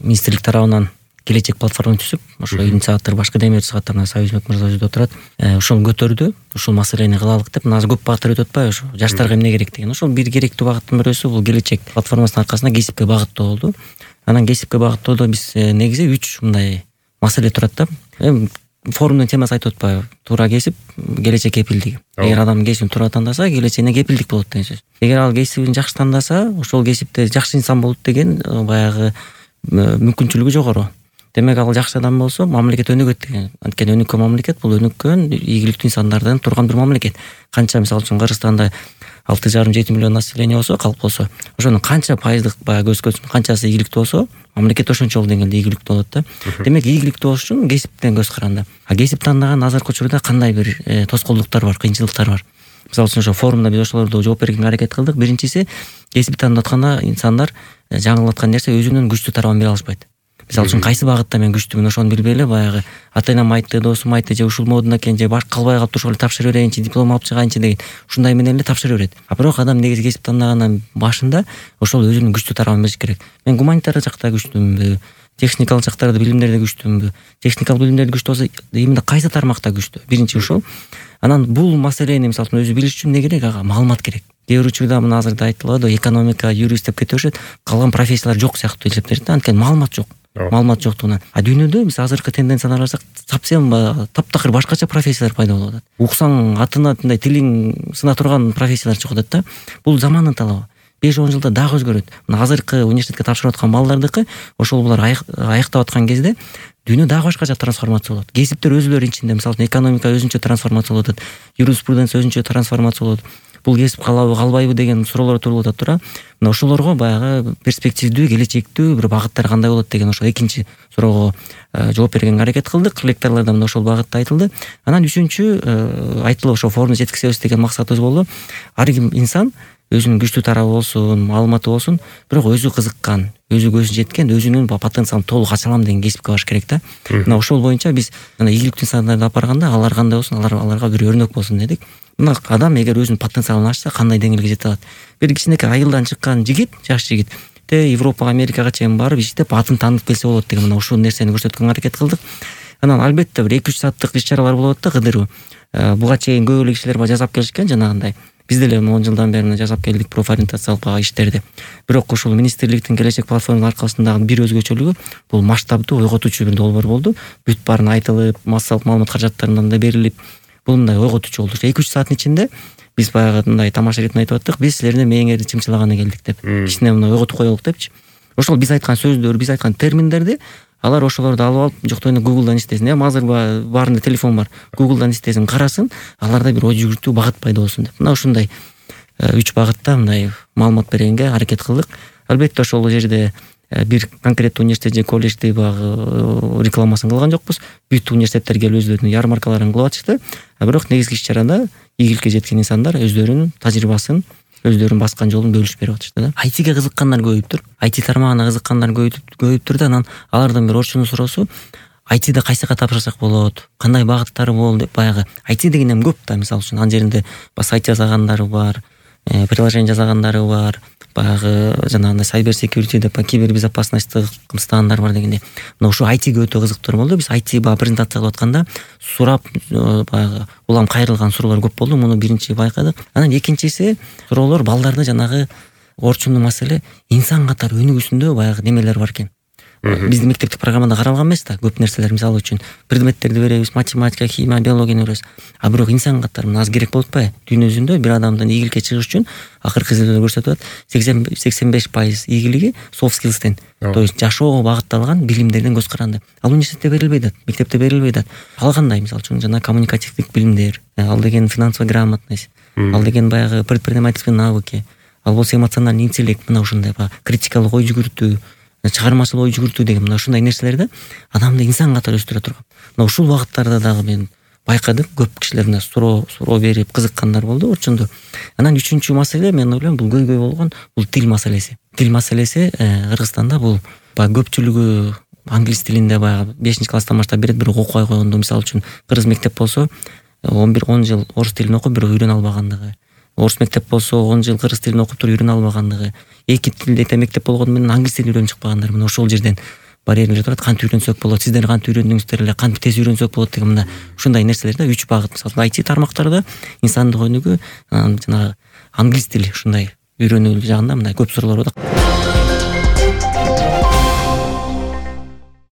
министрлик тарабынан келечек платформа түзүп, ошо инициатор башка демиурчу сагаттарына Союзбек мырза өзү отурат. Ошону көтөрдү. Ушул маселени кылалык деп, мына азыр көп багыттар өтүп атпайбы ошо. Жаштарга эмне керек деген. Ошол бир керектүү багыттын бирөөсү бул келечек платформасынын аркасында кесипке багыттоо болду. Анан кесипке багыттоодо биз негизи 3 мындай маселе турат да. Форумдун темасы айтып атпайбы? Туура кесип, келечек кепилдиги. Эгер адам кесибин туура тандаса, келечегине кепилдик болот деген сөз. Эгер ал кесибин жакшы тандаса, ошол кесипте жакшы инсан болот деген баягы мүмкүнчүлүгү жогору. Демек ал жакшы адам болсо, мамлекет өнүгөт деген. Анткени өнүккөн мамлекет бул өнүккөн ийгиликтүү инсандардан турган бир мамлекет. Канча мисалы үчүн Кыргызстанда 6,5-7 миллион население болсо, калк болсо, ошонун канча пайыздык баягы көзкөрүн канчасы ийгиликтүү болсо, мамлекет ошончолук деңгээлде ийгиликтүү болот да. Демек ийгиликтүү болуш үчүн кесиптен көз каранды. А кесип тандаган азыркы учурда кандай бир тоскоолдуктар бар, кыйынчылыктар бар. Мисалы үчүн ошо форумда биз ошолорду жооп бергенге аракет кылдык. Биринчиси, кесип тандап атканда инсандар жаңылып аткан нерсе өзүнүн күчтүү тарабын бере алышпайт. Мисалы үчүн кайсы багытта мен күчтүүмүн, ошону билбей эле баягы ата-энем айтты, досум айтты, же ушул модун экен, же баш калбай калып ошол тапшырып берейинчи, диплом алып чыгайынчы деген ушундай менен эле тапшырып берет. А бирок адам негизи кесип тандагандан башында ошол өзүнүн күчтүү тарабын бериш керек. Мен гуманитардык жакта күчтүүмүнбү, техникалык жактарда билимдерде күчтүүмүнбү? Техникалык билимдерде күчтүү болсо, именно кайсы тармакта күчтүү? Биринчи ошол. Анан бул маселени мисалы үчүн өзү билиш үчүн эмне керек? Ага маалымат керек. Кээ бир учурда мына азыр да айтылат, экономика, юрист деп кете беришет, калган профессиялар жок сыяктуу эсептелет да, анткени маалымат жок. Маалымат жоктугунан. А дүйнөдө биз азыркы тенденцияны карасак, совсем таптакыр башкача профессиялар пайда болуп атат. Уксаң атына мындай тилиң сына турган профессиялар чыгып атат да. Бул замандын талабы. 5-10 жылда дагы өзгөрөт. Мына азыркы университетке тапшырып аткан балдардыкы, ошол булар аяктап аткан кезде дүйнө дагы башкача трансформация болот. Кесиптер өзүлөрү ичинде, мисалы экономика өзүнчө трансформация болуп атат, юриспруденция өзүнчө трансформация болот. Бул кесип калабы, калбайбы деген суроолор туулуп атат тура. Мына ошолорго баягы перспективдүү, келечектүү бир багыттар кандай болот деген ошол экинчи суроого жооп бергенге аракет кылдык. Лекторлордо мына ошол багытта айтылды. Анан үчүнчү айтылып ошол форумду жеткизебиз деген максатыбыз болду. Ар ким инсан өзүнүн күчтүү тарабы болсун, маалыматы болсун, бирок өзү кызыккан, өзү көзү жеткен, өзүнүн потенциалын толук ача алам деген кесипке барыш керек да. Мына ошол боюнча биз мына ийгиликтүү инсандарды алып барганда, алар кандай болсун, аларга бир өрнөк болсун дедик. Мына адам эгер өзүнүн потенциалын ачса, кандай деңгээлге жете алат? Бир кичинекей айылдан чыккан жигит, жаш жигит Европага, Америкага чейин барып иштеп атын таанып келсе болот деген мына ушул нерсени көрсөткөнгө аракет кылдык. Анан албетте бир 2-3 сааттык иш-чаралар болот да, кыдыруу. Буга чейин көп эле кишилер жасап келишкен жанагындай. Биз деле 10 жылдан бери жасап келдик профориентациялык иштерди. Бирок ушул министрликтин келечек платформасынын аркасындагы бир өзгөчөлүгү бул масштабдуу, ойготуучу бир долбоор болду. Бүт баарын айтылып, массалык маалымат каражаттарынан да берилип, бул мындай ойготуучу болду. 2-3 сааттын ичинде биз баягы мындай тамаша иретин айтып аттык. Биз силердин мээңерди чымчылаганы келдик деп. Кичине мындай ойготуп коелук депчи. Ошол биз айткан сөздөр, биз айткан терминдерди алар ошолорду алып алып, жок эми Google'дан издесин. Азыр баарында телефон бар. Google'дан издесин, карасын, аларда бир ой жүгүртүү багыт пайда болсун деп. Мына ушундай 3 багытта мындай маалымат бергенге аракет кылдык. Албетте ошол жерде бир конкреттүү университет же колледжди багы рекламасын кылган жокпуз. Бүт университеттер келип өзлөрүнүн ярмаркаларын кылып атышты. А бирок негизги иш-чарада ийгиликке жеткен инсандар өздөрүнүн тажрыйбасын, өздөрүнүн баскан жолун бөлүшүп берип атышты да. IT-ге кызыккандар көбөйүптүр. IT тармагына кызыккандар көбөйүптүр да. Анан алардан бир Орчундун суроосу, IT-де кайсыга тапшырсак болот, кандай багыттары болот деп баягы. IT деген эми көп да, мисалы үчүн ан жеринде сайт жасагандары бар, приложение жасагандары бар, баягы жанагындай cyber security деп кибербезопасностьтык кымстандар бар дегенде. Мына ушул IT-ге өтө кызыктар болду. Биз IT баягы презентация кылып атканда сурап баягы улам кайрылган суроолор көп болду. Муну биринчи байкадык. Анан экинчиси суроолор балдарды жанагы Орчундун маселе инсан катары өнүгүүсүндө баягы немелер бар экен. Биздин мектептик программада каралган эмес да, көп нерселер, мисалы үчүн предметтерди беребиз, математика, химия, биологияны беребиз. А бирок инсан катары мына аз керек болуп атпайбы? Дүйнө жүзүндө бир адамдын ийгиликке чыгыш үчүн акыркы изилдөөлөр көрсөтүп атат, 85% ийгилиги soft skills'тен, то есть жашоого багытталган билимдерден көз каранды. Ал университетте берилбей атат, мектепте берилбей атат. Ал кандай, мисалы үчүн жана коммуникативдик билимдер, ал деген финансовая грамотность, ал деген баягы предпринимательские навыки, ал болсо эмоциональный интеллект, мына ушундай критикалык ой жүгүртүү, чыгармачыл ой жүгүртүү деген мына ушундай нерселерди адамды инсан катары өстүрө турган. Мына ушул багыттарда дагы мен байкадым, көп кишилер мына суроо берип кызыккандар болду Орчунду. Анан үчүнчү маселе, мен ойлойм, бул көйгөй болгон бул тил маселеси. Тил маселеси Кыргызстанда бул баягы көпчүлүгү англис тилинде баягы 5-класстан баштап берет, бирок окубай койгондо, мисалы үчүн кыргыз мектеп болсо 10 жыл орус тилин окуп, бирок үйрөнө албагандыгы. Орус мектеп болсо 10 жыл кыргыз тилин окуп туруп үйрөнө албагандыгы. Эки тилде мектеп болгону менен англис тилин үйрөнүп чыкпагандар. Мына ошол жерден барьерлер турат, кантип үйрөнсөк болот, сиздер кантип үйрөндүңүздөр эле, кантип тез үйрөнсөк болот деген мына ушундай нерселер да, 3 багыт. Мисалы IT тармактарда инсандык өнүгүү, жанагы англис тили ушундай үйрөнүү жагында мындай көп суроолор бар да.